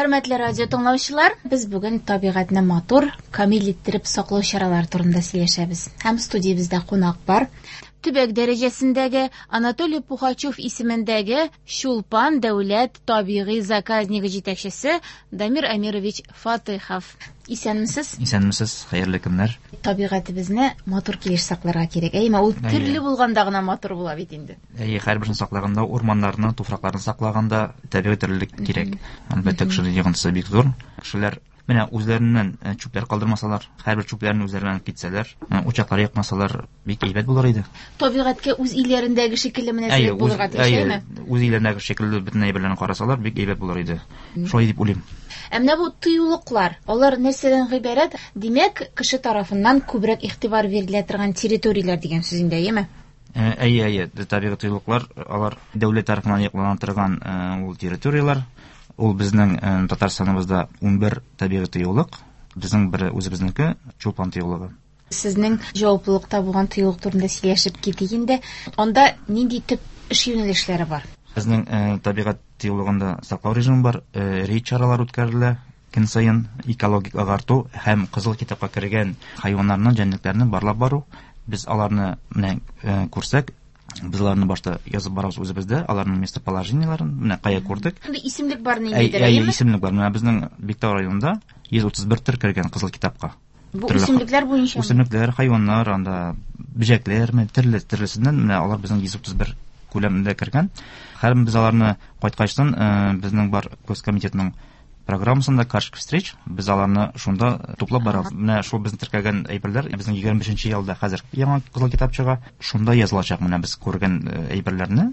Хөрмәтле радио тыңлаучылар, без бүген табигатьне матур, камил иттереп саклау чаралары турында сөйләшәбез. Һәм студиябездә кунак бар. Төбәк дәрәҗәсендәге Анатолий Пухачев исемендәге Чулпан дәүләт табигый заказнигы җитәкчесе Дамир Амирович Фатыйхов. Исәнмесез? Исәнмесез, хәерле көннәр. Табигатебезне матур килеш сакларга кирәк. Әйеме, ул төрле булганда гына матур була бит инде. Әйе, һәрберсен саклаганда, урманнарны, туфракларны саклаганда табигый төрлелек кирәк. Әлбәттә, кешенең йогынтысы бик зур. Кешеләр менә үзләреннән чүпләр калдырмасалар, һәрбер чүпләрне үзләре белән китсәләр, учаклар якмасалар, бик әйбәт булыр иде. Табигатькә үз өйләрендәге шикелле мөнәсәбәт булырга тиеш, әйеме? Үз өйләрендәге шикелле бөтен әйберләрне карасалар, бик әйбәт булыр иде. Шулай дип уйлыйм. Ә менә бу тыюлыклар, алар нәрсәдән гыйбарәт? Димәк, кеше тарафыннан күбрәк игътибар бирелә торган территорияләр дигән сүз инде, әйеме? Әйе, әйе, табигый тыюлыклар, алар дәүләт тарафыннан яклана торган ул территорияләр. Ул безнең Татарстаныбызда 11 табигый тыюлык, безнең бер үзебезнеке Чулпан тыюлыгы. Сезнең җаваплылыкта булган тыюлык турында сөйләшеп китик инде. Анда нинди төп эш юнәлешләре бар? Безнең табигать тыюлыгында саклау режимы бар, рейд чаралар үткәрелә көн саен, экологик агарту һәм кызыл китапка кергән хайваннарны, җәнлекләрне барлап бару. Без аларны менә күрсәк, без аларны башта язып барабыз үзебездә, аларның местоположениеләрен, менә кая күрдек. Шундый исемлек бар ниндидер, әйеме? Исемлек бар. Менә безнең Биктау районында 131 төр кергән кызыл китапка. Бу үсемлекләр буенча? Үсемлекләр, хайваннар, анда бөҗәкләр, төрле төрлесеннән менә алар безнең 131 күләмендә кергән. Һәм без аларны кайткачтан безнең бар госкомитетның программасында карточка встреч, без аларны шунда туплап барабыз. Менә шул безнең теркәгән әйберләр, безнең 25 елда хәзер яңа кызыл китап чыга, шунда язылачак менә без күргән әйберләрне,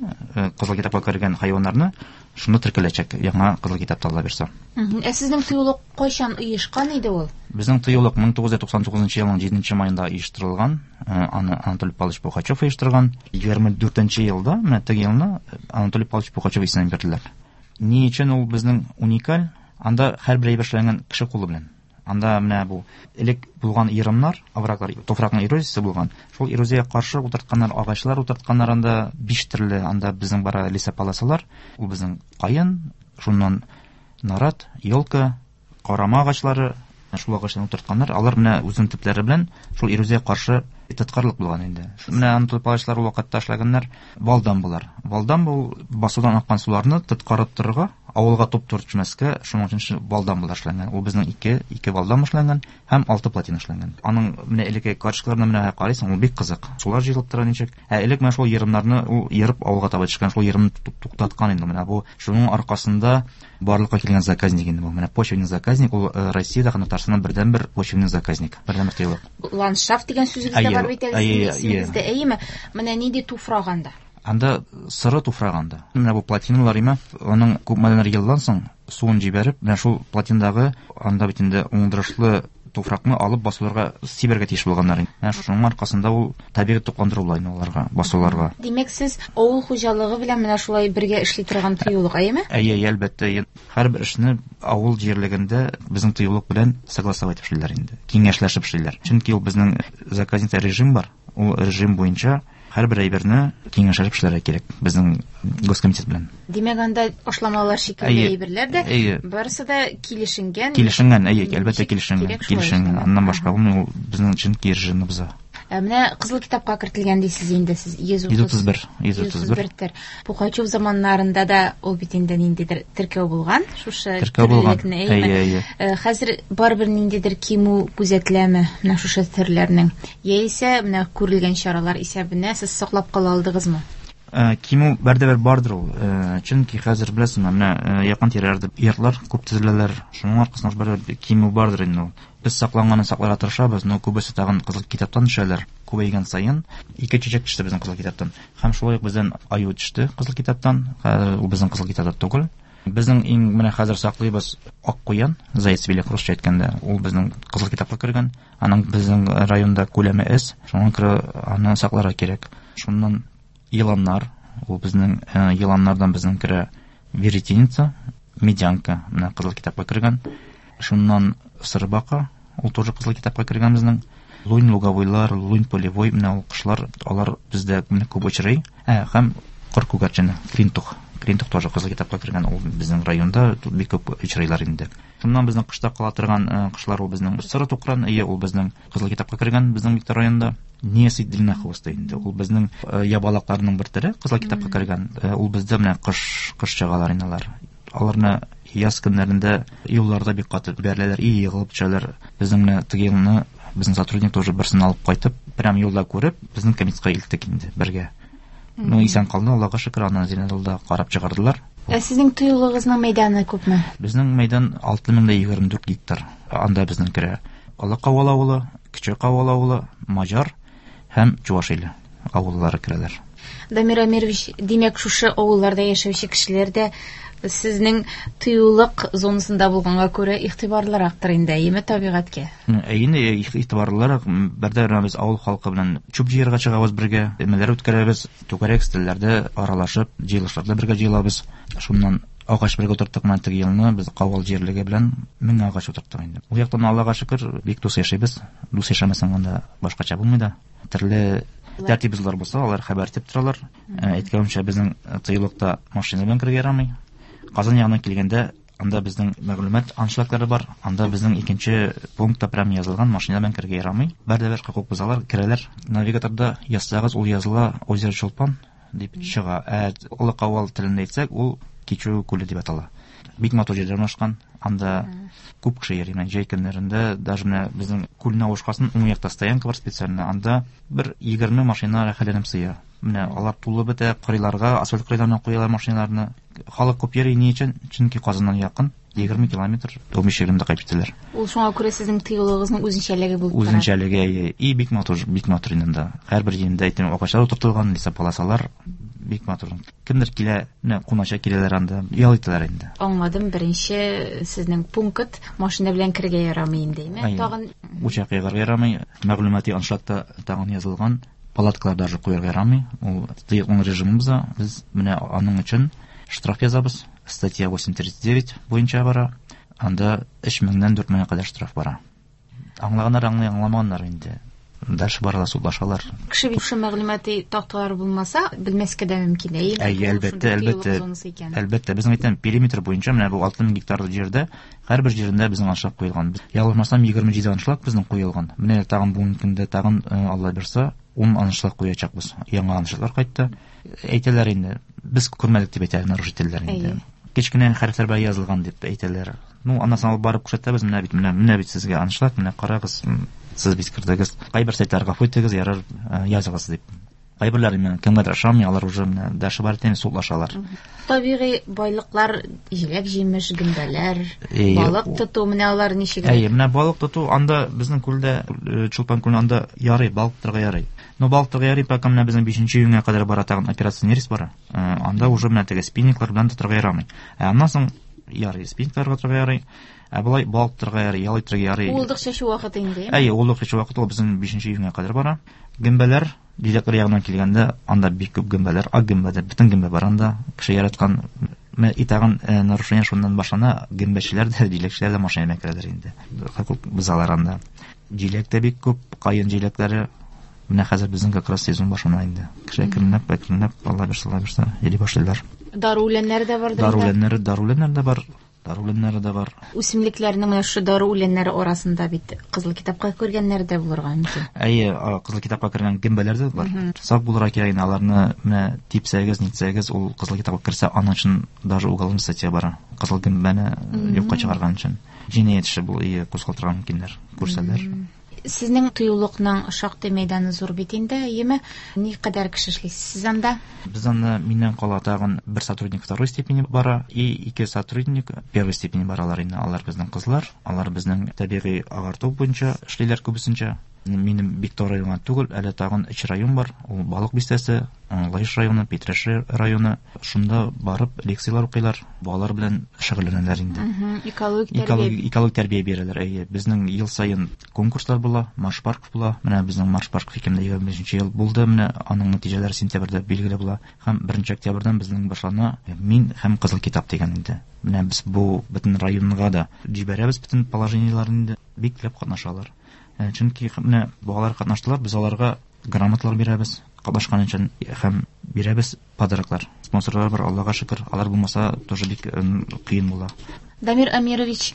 кызыл китапка кергән хайваннарны шунда теркәләчәк яңа кызыл китапта, Алла бирсә. Ә сезнең тыюлык кайчан оешкан иде ул? Безнең тыюлык 1999 елның 7 маенда оештырылган. Аны Анатолий Павлович Пухачев оештырган. 24 елда, менә теге елны Анатолий Павлович Пухачев исемен бирделәр. Ни өчен ул безнең уникаль? Анда һәрбер әйбер эшләнгән кеше кулы белән. Анда менә бу элек булган ерымнар, овраглар, туфракның эрозиясе булган. Шул эрозиягә каршы утыртканнар, агачлар утыртканнар анда 5 төрле, анда безнең бара лесополосалар, ул безнең каен, шуннан нарат, елка, карама агачлары, шул агачларны утыртканнар. Алар менә үзенең төпләре белән шул эрозиягә каршы тоткарлык булган инде. Менә аны агачлар ул вакытта эшләгәннәр валдамбалар. Валдамба ул басудан аккан суларны тоткарып торырга, авылга туп-туры төшмәскә, шуның өчен валдамбалар эшләнгән. Ул безнең ике валдамба эшләнгән һәм 6 плотина эшләнгән. Аның менә элекке карточкаларына менә карыйсың, ул бик кызык. Сулар җыелып тора ничек. Ә элек менә шул ерымнарны ул ерып авылга таба төшкән, шул ерымны туктаткан инде. Менә бу шуның аркасында барлыкка килгән заказник инде бу. Менә почвенный заказник ул Россиядә һәм Татарстанда бердәнбер почвенный заказник, бердәнбер тыюлык. Ландшафт дигән сүзебез дә бар бит әле исемегездә, әйеме? Менә нинди туфрак анда? Анда сыры туфрак анда. Менә бу плотиналар име, аның күпмедер елдан соң суын җибәреп, менә шул плотиндагы анда бит инде уңдырышлы туфракны алып басуларга сибәргә тиеш булганнар. Менә шуның аркасында ул табигый тукландыру була инде аларга, басуларга. Димәк, сез авыл хуҗалыгы белән менә шулай бергә эшли торган тыюлык, әйеме? Әйе, әйе, әлбәттә. Һәрбер эшне авыл җирлегендә безнең тыюлык белән согласовать итеп эшлиләр инде, киңәшләшеп эшлиләр. Чөнки ул безнең заказникта режим бар. Ул режим буенча һәрбер әйберне киңәшләшеп эшләргә кирәк безнең госкомитет белән. Димәк, анда ашламалар шикелле әйберләр дә, барысы да килешенгән. Килешенгән, әйе, әлбәттә килешенгән, килешенгән. Аннан башка булмый, ул безнең чөнки режимны боза. Ә менә кызыл китапка кертелгән дисез инде сез, 131, 131. Төр. Пухачев заманнарында да ул бит инде ниндидер теркәү булган, шушы теркәү булган. төрлелекне, әйеме? Әйе, әйе. Хәзер барыбер ниндидер кимү күзәтеләме менә шушы төрләрнең? Яисә менә күрелгән чаралар исәбенә сез саклап кала алдыгызмы? Кимү бәрдәбер бардыр ул. Чөнки хәзер беләсезме, менә якын тирәләрдә йортлар күп төзеләләр. Шуның аркасында барыбер кимү бардыр инде ул. Без сакланганын сакларга тырышабыз, но күбесе тагын кызыл китаптан төшәләр. Күбәйгән саен 2 чәчәк төште безнең кызыл китаптан. Һәм шулай ук бездән аю төште кызыл китаптан. Хәзер ул безнең кызыл китапта түгел. Безнең иң менә хәзер саклыйбыз ак куян, заяц белек русча әйткәндә, ул безнең кызыл китапка кергән. Аның безнең районда күләме әз, шуңа күрә аны сакларга кирәк. Шуннан еланнар, ул безнең еланнардан безнең керә веретеница, медянка, менә кызыл китапка кергән. Шуннан сырбака, ул тоже кызыл китапка кергән безнең. Лунь луговойлар, лунь полевой, менә ул кошлар, алар бездә менә күп очрый. Һәм кыр күгәрчене, клинтух. Клинтук тоже Кызыл китапка кергән, ул безнең районда бик күп очрыйлар инде. Шуннан безнең кышта кала торган кошлар ул безнең соры тукран, ие, ул безнең Кызыл китапка кергән безнең Биктау районында. Несый длиннохвостый инде. Ул безнең ябалакларның бер төре, Кызыл китапка кергән. Ул бездә менә кыш кыш чыгалар инде алар. Аларны яз көннәрендә юлларда бик каты бәреләләр, и егылып төшәләр. Безнең менә теге елны безнең сотрудник тоже берсен алып кайтып, прям юлда күреп, безнең комитетка илттек инде бергә. Ну, исән калды, Аллага шөкер, аны Зеленодолда карап чыгардылар. Ә сезнең тыюлыгызның мәйданы күпме? Безнең мәйдан 6024 гектар. Анда безнең керә Олы Кавал авылы, Кече Кавал авылы, Маҗар һәм Чуваш иле авыллары керәләр. Дамир Амирович, димәк, шушы авылларда яшәүче кешеләр дә сезнең тыюлык зонасында булганга күрә игътибарлырактыр инде, әйеме, табигатькә? Әйе, игътибарлырак. Бердә без авыл халкы белән чүп җыярга чыгабыз бергә, өмәләр үткәрәбез, түгәрәк өстәлләрдә аралашып, җыелышларда бергә җыелабыз. Шуннан агач бергә утырттык менә теге елны без Кавал җирлеге белән 1000 агач утырттык инде. Ул яктан Аллага шөкер, бик дус яшибез. Дус яшәмәсәң анда башкача булмый да. Төрле тәртип бозулар булса, алар хәбәр итеп торалар. Әйткәнемчә, безнең тыюлыкта машина белән керергә ярамый. Казан ягыннан килгәндә, анда безнең мәгълүмат аншлаглары бар. Анда безнең икенче пунктта прям язылган, машина белән керергә ярамый. Бер дә бер хокук бозалар, керәләр. Навигаторда язсагыз, ул языла Озеро Чулпан дип чыга. Ә Олы Кавал телендә әйтсәк, ул Кичү күле дип атала. Бик матур җирдә урнашкан. Анда күп кеше йөри. Менә җәй көннәрендә даже менә безнең күлне авышкасын уң якта стоянка бар специально. Анда бер 20 машина рәхәтләнеп сыя. Менә алар тулы бетә, кырыйларга, асфальт кырыйларына куялар машиналарны. Халык күп йөри, ни өчен? Чөнки Казаннан якын, 20 километр, 15-20 кайтып китәләр. Ул шуңа күрә сезнең тыюлыгызның үзенчәлеге булып тора. Үзенчәлеге, әйе. И бик матур, бик матур инде анда. Һәрбер җирендә әйтәм, агачлар утыртылган, лесополосалар бик матур. Кемдер килә, менә кунача киләләр анда, ял итәләр инде. Аңладым, беренче сезнең пункт машина белән керергә ярамый инде, әйме? Тагын учак ягарга ярамый, мәгълүмати аншлагта тагын язылган, палаткалар даже куярга ярамый. Ул тыюлык режимы боза. Без менә аның өчен штраф язабыз. Статья 839 буенча бара. Анда 3000-нән 4000-гә кадәр штраф бара. Аңлаганнар аңлый, аңламаганнар инде. Дальше баралар, судлашалар. Кеше бит шушы мәгълүмати такталар булмаса, белмәскә дә мөмкин, әйеме? Әйе, әлбәттә, әлбәттә. Әлбәттә, безнең әйтәм, периметр буенча менә бу 6000 гектарлы җирдә һәрбер җирендә безнең аншлаг куелган. Ялгышмасам, 27 аншлаг безнең куелган. Менә тагын бүгенге көндә тагын Алла бирса, 10 аншлаг куячакбыз. Яңа аншлаглар кайтты. Әйтәләр инде, без күрмәдек дип әйтәләр нарушительләр инде. Кечкенә хәрефләр белән язылган дип әйтәләр. Ну, аннан соң алып барып күрсәтәбез, менә бит, менә, менә бит сезгә аншлаг, менә карагыз, сез бит кердегез. Кайбер сайтлар гафу итегез, ярар, языгыз дип. Кайберләре менә кемгәдер ошамый, алар уже менә дальше барып инде судлашалар. Табигый байлыклар, җиләк-җимеш, гөмбәләр, балык тоту, менә алар ничек? Әйе, менә балык тоту анда безнең күлдә, Чулпан күле анда ярый, балык тотарга ярый. Но балык тотарга ярый, пока менә безнең 5 июньгә кадәр бара тагын операция Нерест бара. Анда уже менә теге спиннинглар белән тотарга ярамый. Ә аннан соң ярый, спиннингларга тотарга ярый. Ә болай балык тотарга ярый, ял итәргә ярый. Уылдык чәчү вакыты инде. Әйе, уылдык чәчү вакыты ул безнең 5 июньгә кадәр бара. Гөмбәләр, җиләкләр ягыннан килгәндә, анда бик күп гөмбәләр, ак гөмбә дә, бөтен гөмбә бар анда. Кеше яраткан менә и тагын нарушение шуннан башлана, гөмбәчеләр дә, җиләкчеләр дә машина белән керәләр инде. Хокук бозалар анда. Җиләк тә бик күп, каен җиләкләре. Менә хәзер безнең как раз сезон башлана инде. Кеше әкренләп, әкренләп, Алла бирсә, Алла бирсә, йөри башлыйлар. Дару үләннәре дә бардыр. Дару үләннәре, дару үләннәре дә бар. Дару үләннәре дә бар. Үсемлекләрнең менә шушы дару үләннәре арасында бит Кызыл китапка кергәннәре дә булырга мөмкин. Әйе, Кызыл китапка кергән гөмбәләр дә бар. Сак булырга кирәк инде, аларны менә типсәгез, нитсәгез, ул Кызыл китапка керсә, аның өчен даже уголовный статья бара. Кызыл гөмбәне юкка чыгарган өчен. Җинаять эше бу, кузгалтырга мөмкиннәр, күрсәләр. Сезнең тыюлыкның шактый мәйданы зур бит инде, әйеме? Никадәр кеше эшлисез сез анда? Без анда миннән кала тагын бер сотрудник второй степени бара и ике сотрудник первой степени баралар инде. Алар безнең кызлар, алар безнең табигый агарту буенча эшлиләр күбесенчә. Минем Биктау районы түгел, әле тагын өч район бар. Ул Балык бистәсе, Лаеш районы, Питрәч районы. Шунда барып лекцияләр укыйлар, балалар белән шөгыльләнәләр инде. Экологик тәрбия. Экологик тәрбия бирәләр, әйе. Безнең ел саен конкурслар була, марш парк була. Менә безнең марш парк 2025 ел булды. Менә аның нәтиҗәләре сентябрьдә билгеле була. Һәм 1 октябрьдән безнең башлана Мин һәм Кызыл китап дигән инде. Менә без бу бөтен районга да җибәрәбез бөтен положениеләрне инде. Бик теләп катнашалар. Чөнки менә балалар катнаштылар, без аларга грамоталар бирәбез. Катнашкан өчен һәм бирәбез подароклар. Спонсорлар бар, Аллага шөкер. Алар булмаса, тоже бик кыен була. Дамир Амирович,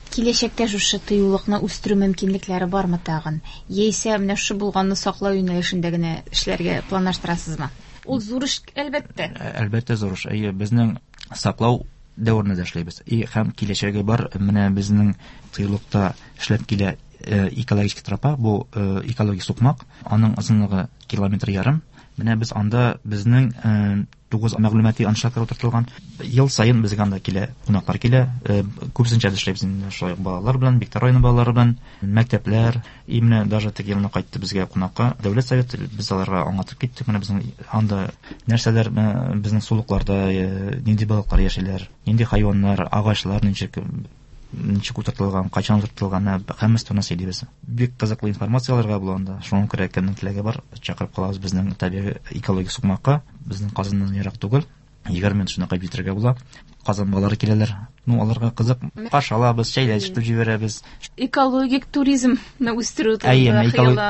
киләчәктә шушы тыюлыкны үстерү мөмкинлекләре бармы тагын? Яисә менә шушы булганны саклау юнәлешендә генә эшләргә планлаштырасызмы? Ул зур эш, әлбәттә. Әлбәттә, зур эш. Әйе, безнең саклау дәверендә дә эшләйбез. И һәм киләчәге бар. Менә безнең тыюлыкта эшләп килә экологический тропа, бу экологик сукмак. Аның озынлыгы километр ярым. Менә без анда безнең 9 мәгълүмати аншлаглар утыртылган. Ел саен безгә анда килә, кунаклар килә. Күбесенчә без эшләйбез инде шулай ук балалар белән, Биктар районы балалары белән, мәктәпләр. И менә даже теге елны кайтты безгә кунакка Дәүләт советы, без аларга аңлатып киттек. Менә безнең анда нәрсәләр, безнең сулыкларда нинди балыклар яшиләр, нинди хайваннар, агачлар ничек ничек утыртылган, кайчан утыртылган, һәммәсе турында сөйлибез. Бик кызыклы информация алырга була анда. Шуңа күрә кемнең теләге бар, чакырып калабыз безнең табигый экологик сукмакка. Безнең Казаннан ерак түгел. 20 минут шунда кайтып җитәргә була. Казан балалары киләләр. Ну, аларга кызык. Каршы алабыз, чәйләр эчертеп җибәрәбез. Экологик туризмны үстерү турында Әйе,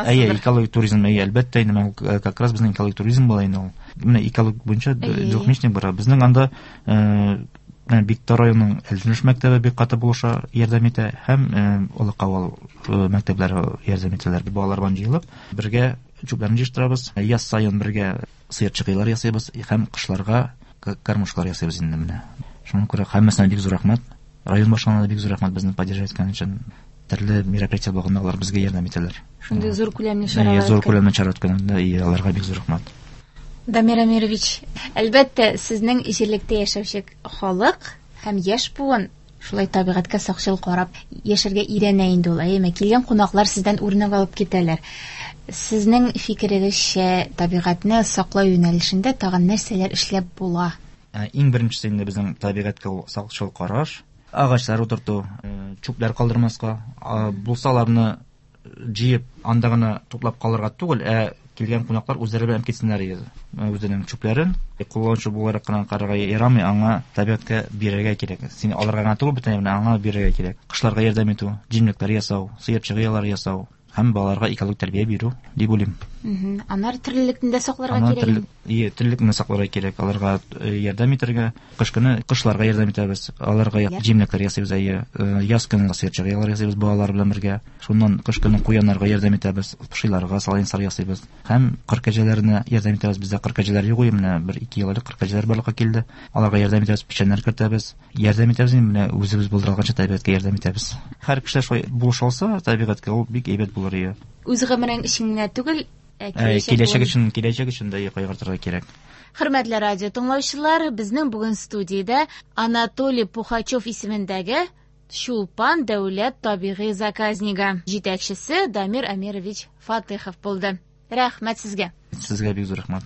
әйе, экологик туризм, әйе, әлбәттә, инде менә как раз безнең экологик туризм була инде ул. Менә экологик буенча двухмесячник бара. Безнең анда менә Биктар районының Әлҗенеш мәктәбе бик каты булыша, ярдәм итә һәм Олы Кавал мәктәпләре ярдәм итәләр. Балалар белән җыелып, бергә чүпләрне җыештырабыз. Яз саен бергә сыерчык ясыйбыз һәм кышларга кормушкалар ясыйбыз инде менә. Шуңа күрә һәммәсенә бик зур рәхмәт. Район башлыгына да бик зур рәхмәт безне поддерживать иткән өчен. Төрле мероприятие булганда алар безгә ярдәм итәләр. Шундый зур күләмле чаралар. Зур күләмле чара үткәндә аларга бик зур рәхмәт. Дамир Амирович, әлбәттә, сезнең җирлектә яшәүче халык һәм яшь буын шулай табигатькә сакчыл карап яшәргә өйрәнә инде ул, әйеме? Килгән кунаклар сездән үрнәк алып китәләр. Сезнең фикерегезчә, табигатьне саклау юнәлешендә тагын нәрсәләр эшләп була? Иң беренчесе инде безнең табигатькә ул сакчыл караш, агачлар утырту, чүпләр калдырмаска, булса аларны җыеп анда гына туплап калырга түгел, ә килгән кунаклар үзләре белән китсеннәр иде. Үзенең чүпләрен кулланучы буларак кына карарга ярамый, аңа табигатькә бирергә кирәк. Син алырга гына түгел, бөтенләй менә аңа бирергә кирәк. Кошларга ярдәм итү, җимлекләр ясау, сыерчык оялары ясау һәм балаларга экологик тәрбия бирү дип уйлыйм. Аннары терлекне дә сакларга кирәк. Ие, терлекне сакларга кирәк, аларга ярдәм итәргә, кыш көне кошларга ярдәм итәбез, аларга җимлекләр ясыйбыз, әйе, яз көне сыерчык оялары ясыйбыз балалар белән бергә. Шуннан кыш көне куяннарга ярдәм итәбез, пошиларга салайнсар ясыйбыз. Һәм кыр кәҗәләренә ярдәм итәбез. Бездә кыр кәҗәләр юк, менә 1-2 ел элек кыр кәҗәләр барлыкка килде. Аларга ярдәм итәбез, печәннәр кертәбез. Ярдәм итәбез инде, менә үзебез булдыра алганча табигатькә ярдәм итәбез. Һәр кеше шулай булыша алса табигатькә, ул бик әйбәт булыр иде. Үз гомерең өчен генә түгел, киләчәк өчен, киләчәк өчен дә кайгыртырга кирәк. Хөрмәтле радио тыңлаучылар, безнең бүген студиядә Анатолий Пухачев исемендәге Чулпан дәүләт табигый заказнигы җитәкчесе Дамир Амирович Фатыхов булды. Рәхмәт сезгә. Сезгә бик зур рәхмәт.